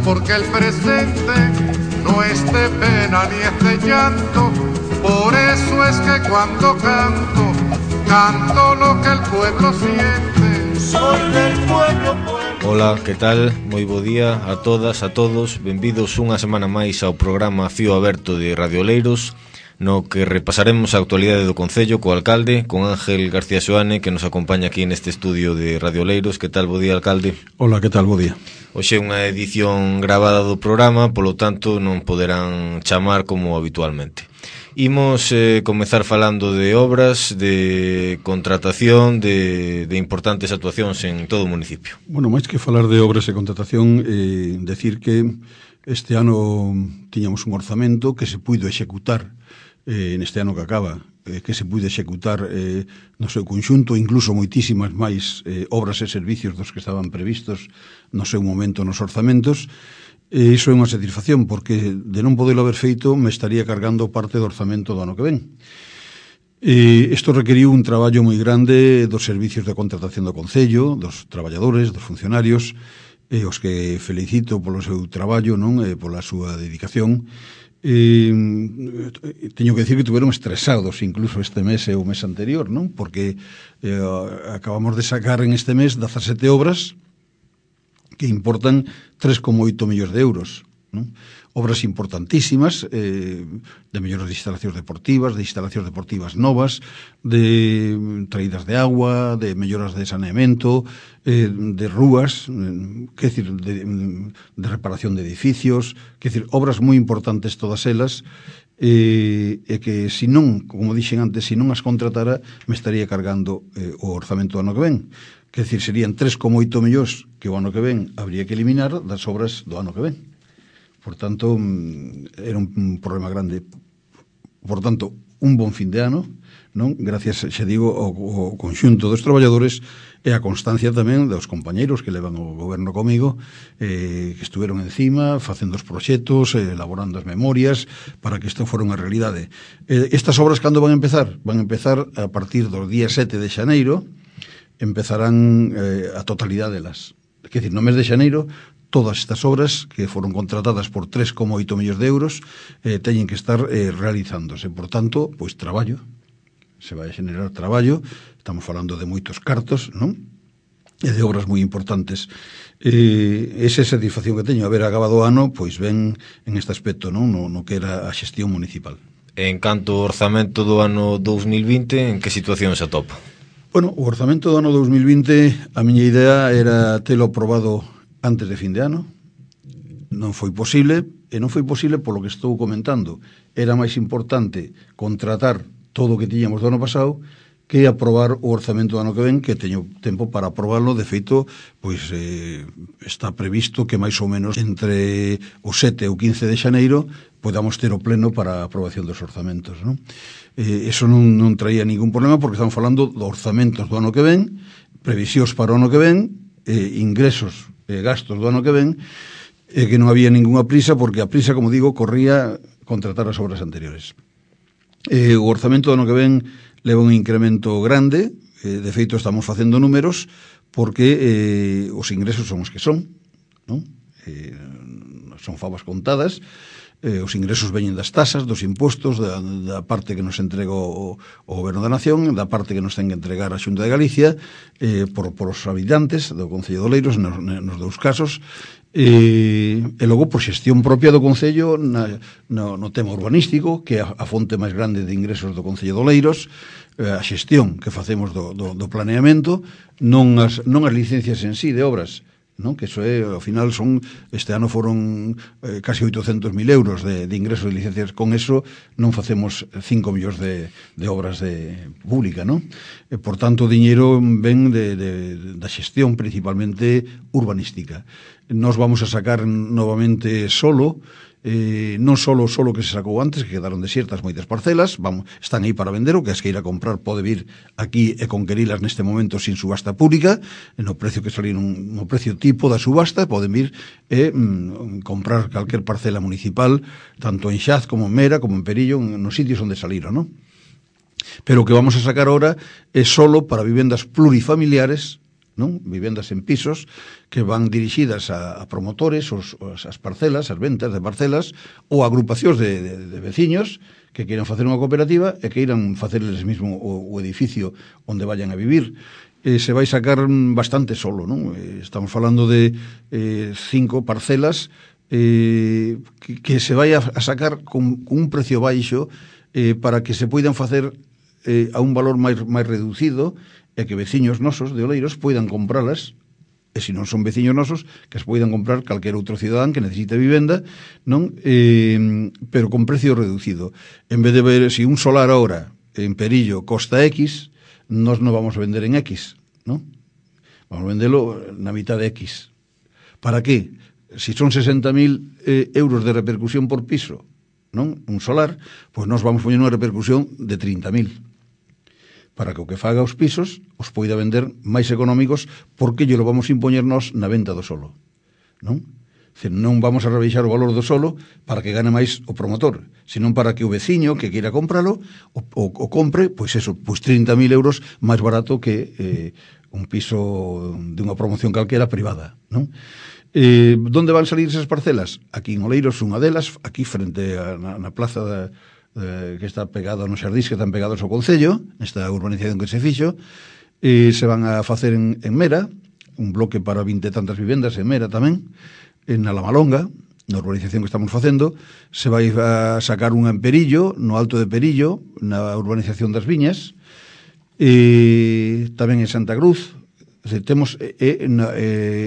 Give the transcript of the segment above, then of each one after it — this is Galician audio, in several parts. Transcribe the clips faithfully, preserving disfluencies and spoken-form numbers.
porque el presente no es de pena ni es de llanto. Por eso es que cuando canto, canto lo que el pueblo siente. Soy del pueblo, pueblo. Ola, que tal? Moi bo día a todas, a todos. Benvidos unha semana máis ao programa Fío Aberto de Radio Oleiros, no que repasaremos a actualidade do Concello co alcalde, con Ángel García Xoane, que nos acompaña aquí neste estudio de Radio Oleiros. Que tal? Bo día, alcalde. Hola, que tal? Bo día. Hoxe é unha edición gravada do programa, polo tanto non poderán chamar como habitualmente. Imos eh, comezar falando de obras, de contratación, de, de importantes actuacións en todo o municipio. Bueno, máis que falar de obras e contratación, eh, decir que este ano tiñamos un orzamento que se puido executar eh, neste ano que acaba, eh, que se puido executar eh, no seu conxunto, incluso moitísimas máis eh, obras e servicios dos que estaban previstos no seu momento nos orzamentos. E iso é unha satisfacción, porque de non podelo haber feito me estaría cargando parte do orzamento do ano que ven. E isto requeriu un traballo moi grande dos servicios de contratación do Concello, dos traballadores, dos funcionarios, e os que felicito polo seu traballo, non, e pola súa dedicación. E, teño que decir que tuveron estresados incluso este mes e o mes anterior, non? Porque eh, acabamos de sacar en este mes dezasete obras que importan tres coma oito millóns de euros, non? Obras importantísimas, eh, de melloras de instalacións deportivas, de instalacións deportivas novas, de traídas de agua, de melloras de saneamento, eh, de rúas, eh, que decir, de, de reparación de edificios, que decir, obras moi importantes todas elas, e, e que se non, como dixen antes, se non as contratara, me estaría cargando eh, o orzamento do ano que ven. Que decir, serían tres coma oito millóns que o ano que ven habría que eliminar das obras do ano que ven. Por tanto, era un problema grande. Por tanto, un bon fin de ano, non? Gracias, xa digo, ao, ao conxunto dos traballadores e a constancia tamén dos compañeiros que levan o goberno comigo, eh, que estuveron encima, facendo os proxectos, eh, elaborando as memorias, para que isto fora unha realidade. Eh, estas obras, cando van a empezar? Van a empezar a partir do día sete de xaneiro, empezarán eh, a totalidade delas. Quer dizer, no mes de xaneiro, todas estas obras que foron contratadas por tres coma oito millóns de euros eh, teñen que estar eh, realizándose. Por tanto, pois traballo, se vai a generar traballo, estamos falando de moitos cartos, non? E de obras moi importantes. Eh, esa é a satisfacción que teño, haber acabado o ano, pois ben en este aspecto, non? No, no que era a xestión municipal. En canto ao orzamento do ano dous mil vinte, en que situación se atopa? Bueno, o orzamento do ano dous mil vinte, a miña idea era telo aprobado antes de fin de ano. Non foi posible, e non foi posible polo que estou comentando. Era máis importante contratar todo o que tiñamos do ano pasado que aprobar o orzamento do ano que ven, que teño tempo para aprobarlo. De feito, pois eh, está previsto que máis ou menos entre o sete e o quince de xaneiro podamos ter o pleno para a aprobación dos orzamentos, non? Eh, eso non, non traía ningún problema, porque estamos falando de orzamentos do ano que ven, previsións para o ano que ven, eh, ingresos e gastos do ano que ven, e que non había ningunha prisa, porque a prisa, como digo, corría contratar as obras anteriores. Eh, o orzamento do ano que ven leva un incremento grande, eh, de feito estamos facendo números, porque eh, os ingresos son os que son, non? Eh, son favas contadas. Eh, os ingresos veñen das tasas, dos impostos, da, da parte que nos entrega o, o Goberno da Nación, da parte que nos ten que entregar a Xunta de Galicia, eh, por, por os habitantes do Concello de Oleiros, nos, nos dous casos, e, e logo por xestión propia do Concello na, no, no tema urbanístico, que é a, a fonte máis grande de ingresos do Concello de Oleiros, eh, a xestión que facemos do, do, do planeamento, non as, non as licencias en sí de obras, non? Que eso é, ao final son, este ano foron eh, casi oitocentos mil euros de, de ingresos de licencias. Con eso non facemos cinco millóns de, de obras de pública, non? E, por tanto, o diñeiro ven de, de, da xestión principalmente urbanística. Nos vamos a sacar novamente solo, eh, non solo solo que se sacou antes, que quedaron desiertas moitas parcelas, vamos, están aí para vender, o que as que ir a comprar pode vir aquí e conquerilas neste momento sin subasta pública, no precio que saliron, no precio tipo da subasta, poden vir e mm, comprar calquer parcela municipal, tanto en Xaz como en Mera, como en Perillo, nos sitios onde saliron, non? Pero o que vamos a sacar ahora é solo para vivendas plurifamiliares, non? Vivendas en pisos que van dirixidas a, a promotores, os, os, as parcelas, as ventas de parcelas, ou agrupacións de, de, de veciños que queiran facer unha cooperativa e que irán facerles mesmo o, o edificio onde vayan a vivir. Eh, se vai sacar bastante solo, non? Eh, estamos falando de eh, cinco parcelas eh, que, que se vai a, a sacar con, con un precio baixo eh, para que se poidan facer eh, a un valor máis, máis reducido e que veciños nosos de Oleiros poidan compralas, e se non son veciños nosos, que as poidan comprar calquer outro cidadán que necesite vivenda, non? Eh, pero con precio reducido. En vez de ver, se un solar ahora en Perillo costa X, nós non vamos a vender en X, non? Vamos a vendelo na mitad de X. Para qué? Si son sesenta mil eh, euros de repercusión por piso, non? Un solar, pois nós vamos poñer unha repercusión de trinta mil. Para que o que faga os pisos os poida vender máis económicos, porque lle lo vamos a impoñer nós na venta do solo, non? Dice, non vamos a rebeixar o valor do solo para que gane máis o promotor, senón para que o veciño que queira compralo o, o, o compre, pois eso, pois trinta mil euros máis barato que eh, un piso de unha promoción calquera privada, non? Eh, donde van salir esas parcelas? Aquí en Oleiros, unha delas, aquí frente a, na, na plaza da Eh, que está pegado nos xardís que están pegados ao Concello, nesta urbanización que se fixo, e se van a facer en, en Mera, un bloque para vinte tantas vivendas en Mera tamén, en Alamalonga, na urbanización que estamos facendo, se vai a sacar unha en Perillo, no Alto de Perillo, na urbanización das Viñas, e tamén en Santa Cruz, e, temos, e, e, e,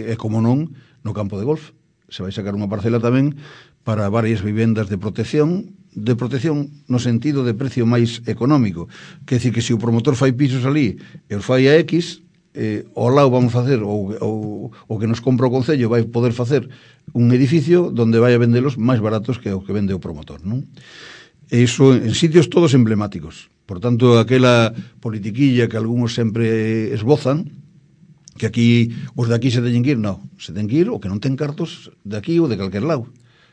e como non, no campo de golf, se vai sacar unha parcela tamén para varias vivendas de protección, de protección no sentido de precio máis económico. Quer dicir que se o promotor fai pisos ali e os fai a X, eh, ao lado vamos facer, ou, ou, ou que nos compra o Concello vai poder facer un edificio donde vai a vendelos máis baratos que o que vende o promotor, non? E iso en sitios todos emblemáticos. Por tanto, aquela politiquilla que algúns sempre esbozan, que aquí os de aquí se teñen que ir, non, se ten que ir o que non ten cartos de aquí ou de calquer lado.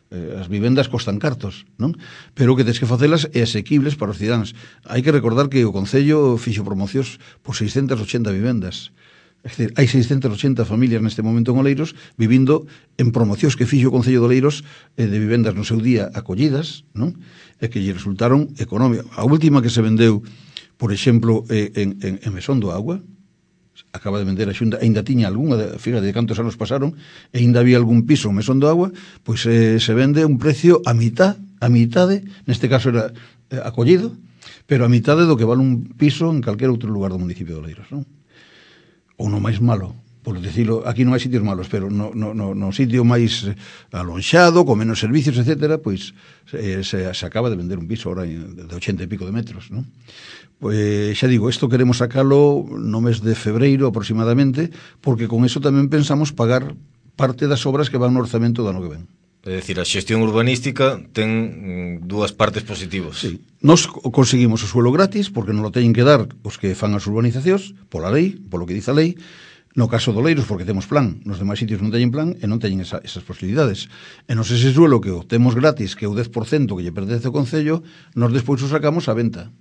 Eh, as vivendas costan cartos, non? Pero o que tens que facelas é asequibles para os cidadáns. Hai que recordar que o Concello fixo promocións por seiscentas e ochenta vivendas. É dicir, hai seiscentas e ochenta familias neste momento en Oleiros vivindo en promocións que fixo o Concello de Oleiros eh, de vivendas no seu día acollidas, non? E que lle resultaron económicas. A última que se vendeu, por exemplo, eh, en, en, en Mesón do Agua, acaba de vender a Xunta, ainda tiña algunha, fíjate de cantos anos pasaron, e ainda había algún piso en Mesón do Agua, pois eh, se vende un precio a mitad, a mitade, neste caso era eh, acollido, pero a mitade do que vale un piso en calquer outro lugar do municipio de Oleiros, non? Ou no máis malo, por decirlo, aquí non hai sitios malos, pero no, no, no, no sitio máis alonxado, con menos servicios, etcétera, pois eh, se, se acaba de vender un piso ahora de ochenta e pico de metros, non? Pois xa digo, isto queremos sacalo no mes de febreiro aproximadamente, porque con eso tamén pensamos pagar parte das obras que van no orzamento do ano que ven. É dicir, a xestión urbanística ten dúas partes positivas. Sí. Nos conseguimos o suelo gratis, porque non lo teñen que dar os que fan as urbanizacións, pola lei, polo que dice a lei. No caso do Oleiros, porque temos plan, nos demais sitios non teñen plan e non teñen esa, esas posibilidades. E nos ese suelo que o temos gratis, que é o dez por cento que lle pertence ao Concello, nos despois o sacamos a venta.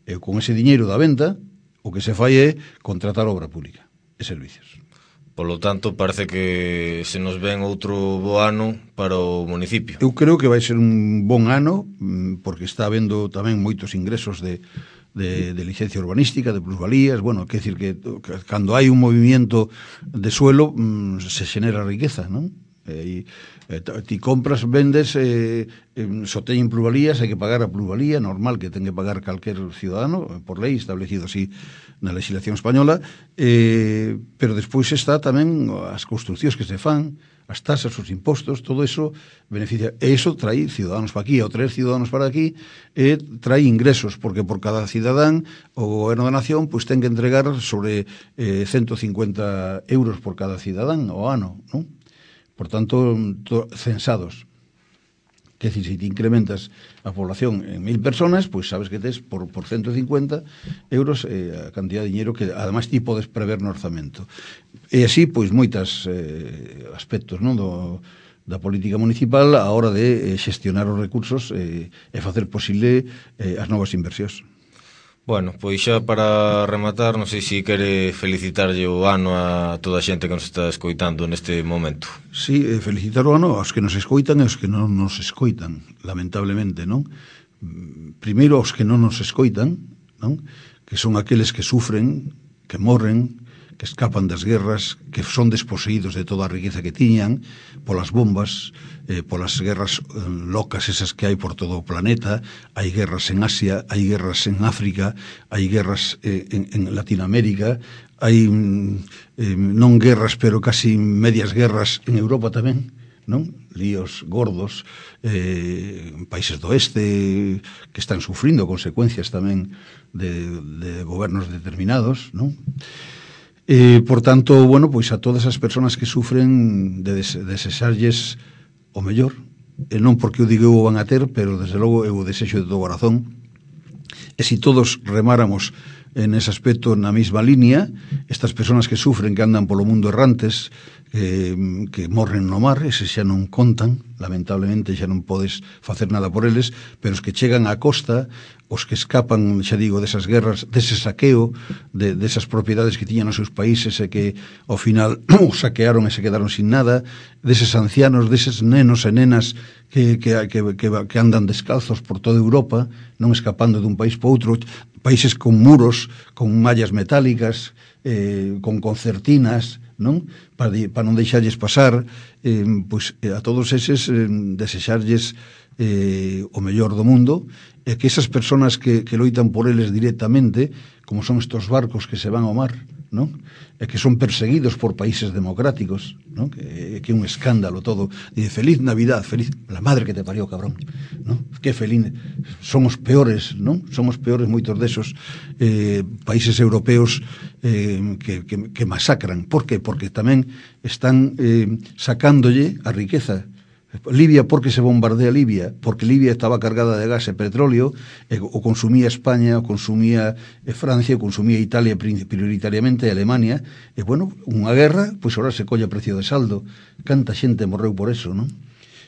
E con ese diñeiro da venta, o que se fai é contratar obra pública e servicios. Polo tanto, parece que se nos ven outro bo ano para o municipio. Eu creo que vai ser un bon ano, porque está habendo tamén moitos ingresos de, de, de licencia urbanística, de plusvalías. Bueno, quer decir que, que cando hai un movimiento de suelo se xenera riqueza, non? E, e, ti compras, vendes, eh, eh, só teñen plusvalías, hai que pagar a plusvalía normal que ten que pagar calquer ciudadano, por lei establecido así na legislación española, eh, pero despois está tamén as construccións que se fan, as tasas, os impostos, todo eso beneficia, e iso trae ciudadanos para aquí, ou traer ciudadanos para aquí, e trae ingresos, porque por cada cidadán o goberno da nación pois ten que entregar sobre eh, ciento cincuenta euros por cada cidadán ao ano, non? Por tanto, to, censados. Que decir, se te incrementas a población en mil personas, pois sabes que tes por, por ciento cincuenta euros eh, a cantidad de dinheiro que ademais ti podes prever no orzamento. E así, pois, moitas eh, aspectos, non, do, da política municipal a hora de eh, xestionar os recursos eh, e facer posible eh, as novas inversións. Bueno, pois xa para rematar, non sei se quere felicitarlle o ano a toda a xente que nos está escoitando neste momento. Sí, eh, felicitar o ano aos que nos escoitan e aos que non nos escoitan, lamentablemente, non? Primeiro aos que non nos escoitan, non? Que son aqueles que sufren, que morren, que escapan das guerras, que son desposeídos de toda a riqueza que tiñan polas bombas, eh, polas guerras eh, locas esas que hai por todo o planeta. Hai guerras en Asia, hai guerras en África, hai guerras eh, en, en Latinoamérica, hai eh, non guerras pero casi medias guerras en Europa tamén, non? Líos gordos, eh, países do oeste que están sufrindo consecuencias tamén de, de gobernos determinados, non? Eh, por tanto, bueno, pois a todas as persoas que sufren de des desexarlles o mellor, e non porque o digo o van a ter, pero desde logo eu o desexo de todo corazón. E se si todos remáramos en ese aspecto na mesma línea, estas persoas que sufren, que andan polo mundo errantes, que, que morren no mar, eses xa non contan, lamentablemente xa non podes facer nada por eles, pero os que chegan á costa, os que escapan, xa digo, desas guerras, dese saqueo, de, desas propiedades que tiñan os seus países e que ao final os saquearon e se quedaron sin nada, deses ancianos, deses nenos e nenas que, que, que, que, que andan descalzos por toda Europa, non escapando dun país para outro, países con muros, con mallas metálicas, eh, con concertinas, non? Para, para non deixarlles pasar, eh, pois a todos eses eh, desexarlles eh, o mellor do mundo, e que esas persoas que, que loitan por eles directamente, como son estos barcos que se van ao mar, non? E que son perseguidos por países democráticos, non? Que, que é un escándalo todo. Dice, feliz Navidad, feliz, la madre que te parió, cabrón, non? Que feliz, somos peores, non? Somos peores moitos desos eh, países europeos eh, que, que, que masacran. Por que? Porque tamén están eh, sacándolle a riqueza. Libia, porque se bombardea Libia? Porque Libia estaba cargada de gas e petróleo, e o consumía España, o consumía Francia, o consumía Italia prioritariamente, e Alemania, e bueno, unha guerra, pois ahora se colle a precio de saldo. Canta xente morreu por eso, non?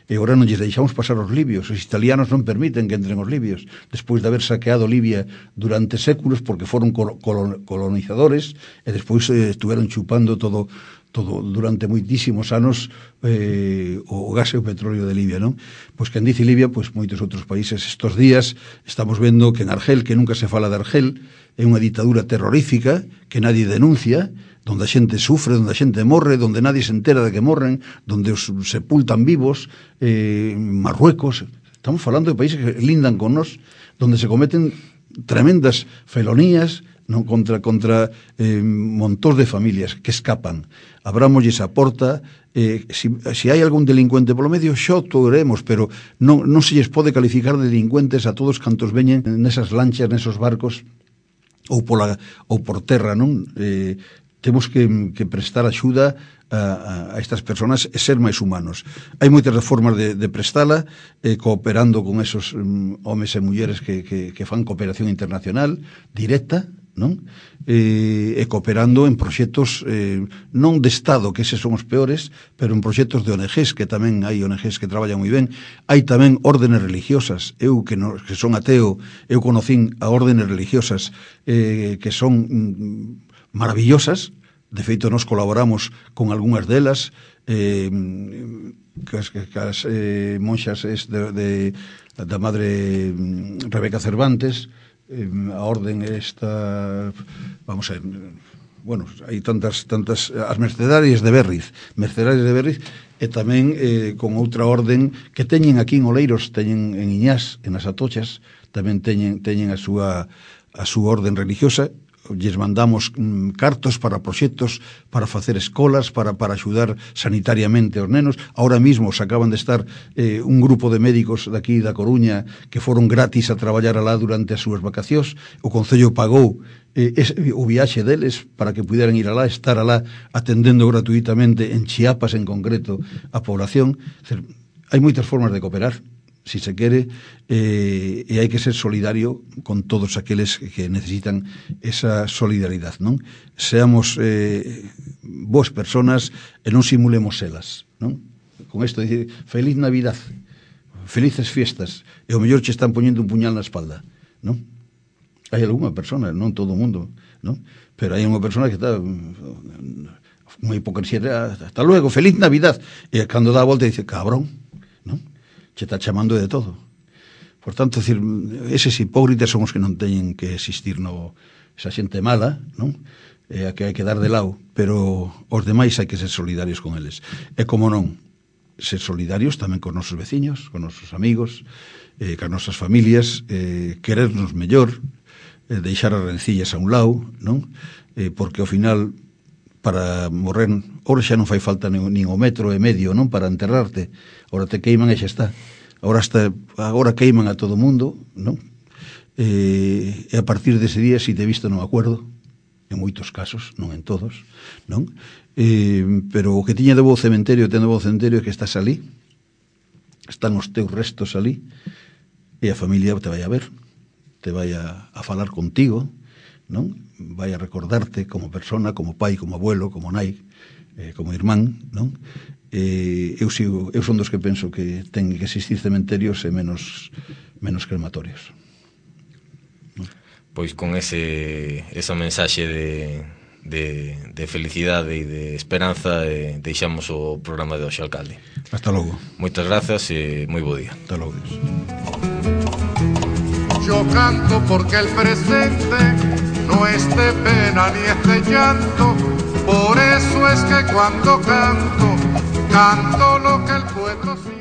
E agora non lles deixamos pasar os libios. Os italianos non permiten que entren os libios, despois de haber saqueado Libia durante séculos, porque foron colonizadores, e despois eh, estuveron chupando todo todo durante moitísimos anos eh, o gas e o petróleo de Libia, non? Pois quen dice Libia, pois moitos outros países. Estos días estamos vendo que en Argel, que nunca se fala de Argel, é unha ditadura terrorífica que nadie denuncia, donde a xente sufre, donde a xente morre, donde nadie se entera de que morren, donde os sepultan vivos, eh, Marruecos. Estamos falando de países que lindan con nos, donde se cometen tremendas felonías, non, contra contra eh, montóns de familias que escapan. Abrámoslle esa porta, eh, si, si hai algún delincuente polo medio, xo touremos, pero non, non se lles pode calificar de delincuentes a todos cantos veñen nesas lanchas, nesos barcos, ou, pola, ou por terra, non? Eh, temos que, que prestar axuda a, a estas persoas e ser máis humanos. Hai moitas formas de, de prestala, eh, cooperando con esos um, homes e mulleres que, que, que fan cooperación internacional directa, non? E, e cooperando en proxectos eh, non de Estado, que eses son os peores, pero en proxectos de O N Ges, que tamén hai O N Ges que traballan moi ben. Hai tamén órdenes religiosas. Eu que, no, que son ateo, eu conocín a órdenes religiosas eh, que son mm, maravillosas. De feito, nos colaboramos con algunhas delas, eh, que as, que as eh, monxas es de, de, da madre Rebeca Cervantes, a orden esta, vamos a ver, bueno, hai tantas tantas as mercedarias de Berriz, mercedarias de Berriz, e tamén eh, con outra orden que teñen aquí en Oleiros, teñen en Iñás, en as Atochas, tamén teñen teñen a súa a súa orden religiosa. Lles mandamos mm, cartos para proxectos, para facer escolas, para, para axudar sanitariamente aos nenos. Ahora mismo se acaban de estar eh, un grupo de médicos daqui da Coruña que foron gratis a traballar alá durante as súas vacacións. O Concello pagou eh, ese, o viaxe deles para que puderan ir alá, estar alá atendendo gratuitamente en Chiapas en concreto a población. Hai moitas formas de cooperar, si se quere, eh, e hai que ser solidario con todos aqueles que necesitan esa solidaridade, non? Seamos eh, boas personas e non simulemos elas, non? Con isto dicir, feliz Navidad, felices fiestas, e o mellor che están poñendo un puñal na espalda, non? Hai algunha persona, non todo o mundo, non? Pero hai unha persona que está unha hipocresía, hasta luego, feliz Navidad, e cando dá a volta dice, cabrón, non? Che está chamando de todo. Por tanto, decir, eses hipócritas son os que non teñen que existir no, esa xente mala, non? E a que hai que dar de lado, pero os demais hai que ser solidarios con eles. E como non, ser solidarios tamén con nosos veciños, con nosos amigos, eh, con nosas familias, eh, querernos mellor, eh, deixar as rencillas a un lado, non? Eh, porque ao final, para morrer, ora xa non fai falta nin, nin o metro e medio, non? Para enterrarte, ora te queiman e xa está. Agora, hasta, agora queiman a todo mundo, non? Eh, e a partir dese día, se te visto non acuerdo, en moitos casos, non en todos, non? Eh, pero o que tiña de bo cementerio, ten de bo cementerio é que estás ali, están os teus restos ali, e a familia te vai a ver, te vai a, a falar contigo, non? Vai a recordarte como persona, como pai, como abuelo, como nai, eh, como irmán, non? Eh, eu, sigo, eu son dos que penso que ten que existir cementerios e menos, menos crematorios. Pois con ese esa mensaxe de, de, de felicidade e de esperanza eh, deixamos o programa de hoxe, alcalde. Hasta logo. Moitas grazas e moi bo día. Hasta logo. Yo canto porque el presente no es de pena ni es de llanto, por eso es que cuando canto, canto lo que el pueblo siente.